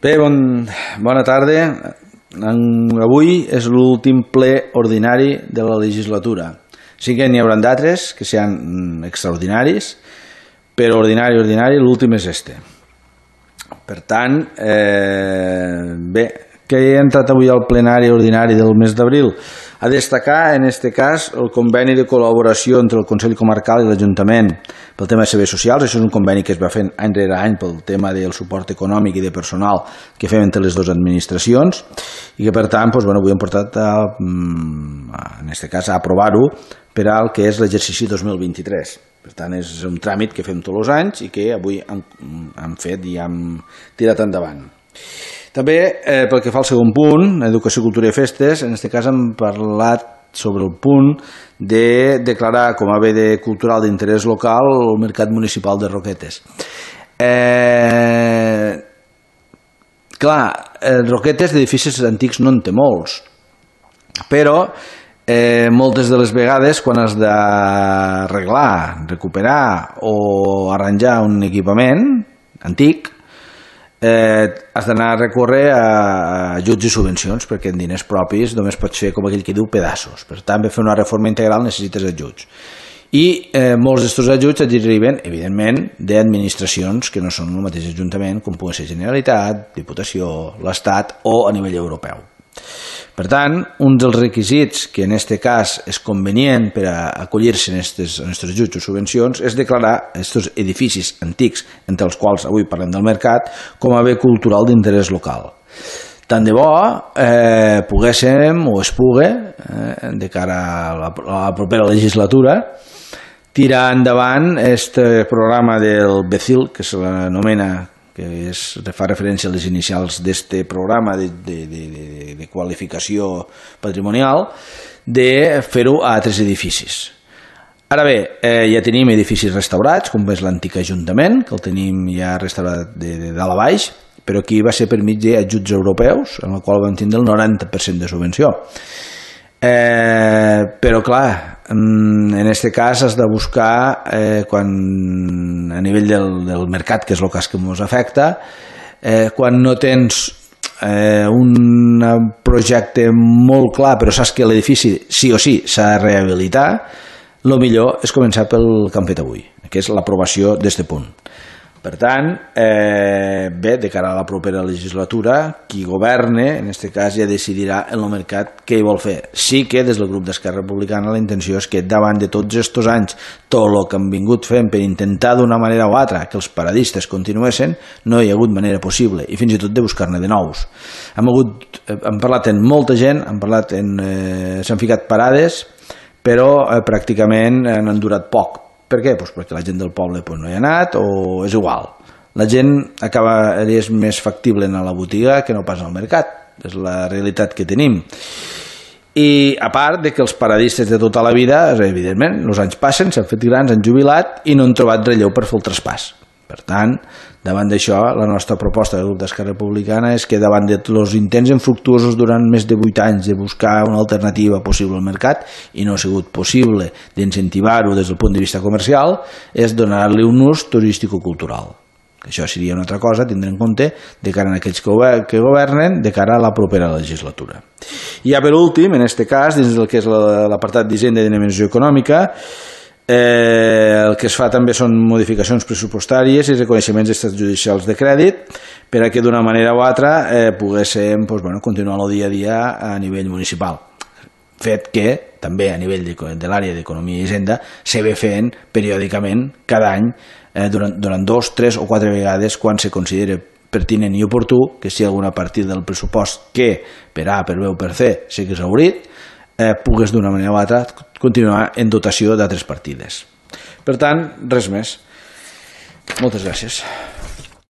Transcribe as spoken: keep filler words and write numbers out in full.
Bé, bon, bona tarda. Avui és l'últim ple ordinari de la legislatura. Sí que n'hi haurà d'altres que seran extraordinaris, però ordinari, ordinari, l'últim és este. Per tant, eh, bé, què he entrat avui al plenari ordinari del mes d'abril? A destacar, en aquest cas, el conveni de col·laboració entre el Consell Comarcal i l'Ajuntament pel tema de serveis socials. Això és un conveni que es va fent any rere any pel tema del suport econòmic i de personal que fem entre les dues administracions i que, per tant, doncs, bueno, avui hem portat, a, en aquest cas, a aprovar-ho per al que és l'exercici dos mil vint-i-tres. Per tant, és un tràmit que fem tots els anys i que avui hem, hem fet i hem tirat endavant. També, eh, pel que fa al segon punt, Educació, Cultura i Festes, en aquest cas hem parlat sobre el punt de declarar com a bé de cultural d'interès local el Mercat Municipal de Roquetes. Eh, clar, Roquetes d'edificis antics no en té molts, però eh, moltes de les vegades quan has d'arreglar, recuperar o arranjar un equipament antic, Eh, has d'anar a recórrer a ajuts i subvencions, perquè en diners propis només pots fer, com aquell que diu, pedaços. Per tant, per fer una reforma integral necessites ajuts. I eh, molts d'aquests ajuts et arriben, evidentment, d'administracions que no són el mateix ajuntament, com pugui ser Generalitat, Diputació, l'Estat o a nivell europeu. Per tant, un dels requisits que en aquest cas és convenient per a acollir-se en aquests ajuts o subvencions és declarar aquests edificis antics, entre els quals avui parlem del mercat, com a bé cultural d'interès local. Tant de bo eh, poguéssim o es pugui, eh, de cara a la, a la propera legislatura, tirar endavant aquest programa del B C I L, que se l'anomena, que és, fa referència a les inicials d'aquest programa de, de, de, de qualificació patrimonial, de fer-ho a altres edificis. Ara bé, eh, ja tenim edificis restaurats, com és l'antic Ajuntament, que el tenim ja restaurat de, de dalt a baix, però aquí va ser per mig d'ajuts europeus, en el qual vam tindre el noranta per cent de subvenció. Eh, però clar, en aquest cas has de buscar eh, quan, a nivell del, del mercat, que és el cas que ens afecta, eh, quan no tens eh, un projecte molt clar però saps que l'edifici sí o sí s'ha de rehabilitar, el millor és començar pel que hem fet avui, que és l'aprovació d'aquest punt. Per tant, eh, bé, de cara a la propera legislatura, qui governe, en aquest cas, ja decidirà en el mercat què hi vol fer. Sí que des del grup d'Esquerra Republicana la intenció és que davant de tots aquests anys, tot el que hem vingut fent per intentar d'una manera o altra que els paradistes continuessin, no hi ha hagut manera possible, i fins i tot de buscar-ne de nous. Hem, hagut, hem parlat amb molta gent, hem parlat en, eh, s'han ficat parades, però eh, pràcticament han durat poc. Per què? Pues perquè la gent del poble pues, no hi ha anat o és igual. La gent acaba, és més factible anar a la botiga que no pas al mercat. És la realitat que tenim. I a part de que els paradistes de tota la vida, evidentment, els anys passen, s'han fet grans, han jubilat i no han trobat relleu per fer el traspàs. Per tant, davant d'això, la nostra proposta del grup d'Esquerra Republicana és que davant dels intents infructuosos durant més de vuit anys de buscar una alternativa possible al mercat i no ha sigut possible d'incentivar-ho des del punt de vista comercial, és donar-li un ús turístico-cultural. Això seria una altra cosa a tindre en compte de cara a aquells que governen de cara a la propera legislatura. I ja per últim, en aquest cas, dins del que és l'apartat d'Hisenda i Dinàmica Econòmica, Eh, el que es fa també són modificacions pressupostàries i reconeixements d'estats judicials de crèdit per a que d'una manera o altra eh, poguéssim pues, bueno, continuar el dia a dia a nivell municipal. Fet que també a nivell de, de l'àrea d'Economia i Hisenda se ve fent periòdicament cada any eh, durant, durant dos, tres o quatre vegades quan se considera pertinent i oportú que si hi ha alguna partida del pressupost que per A, per B o per C s'hagués obrit, eh, pugues d'una manera o altra continuar en dotació d'altres partides. Per tant, res més. Moltes gràcies.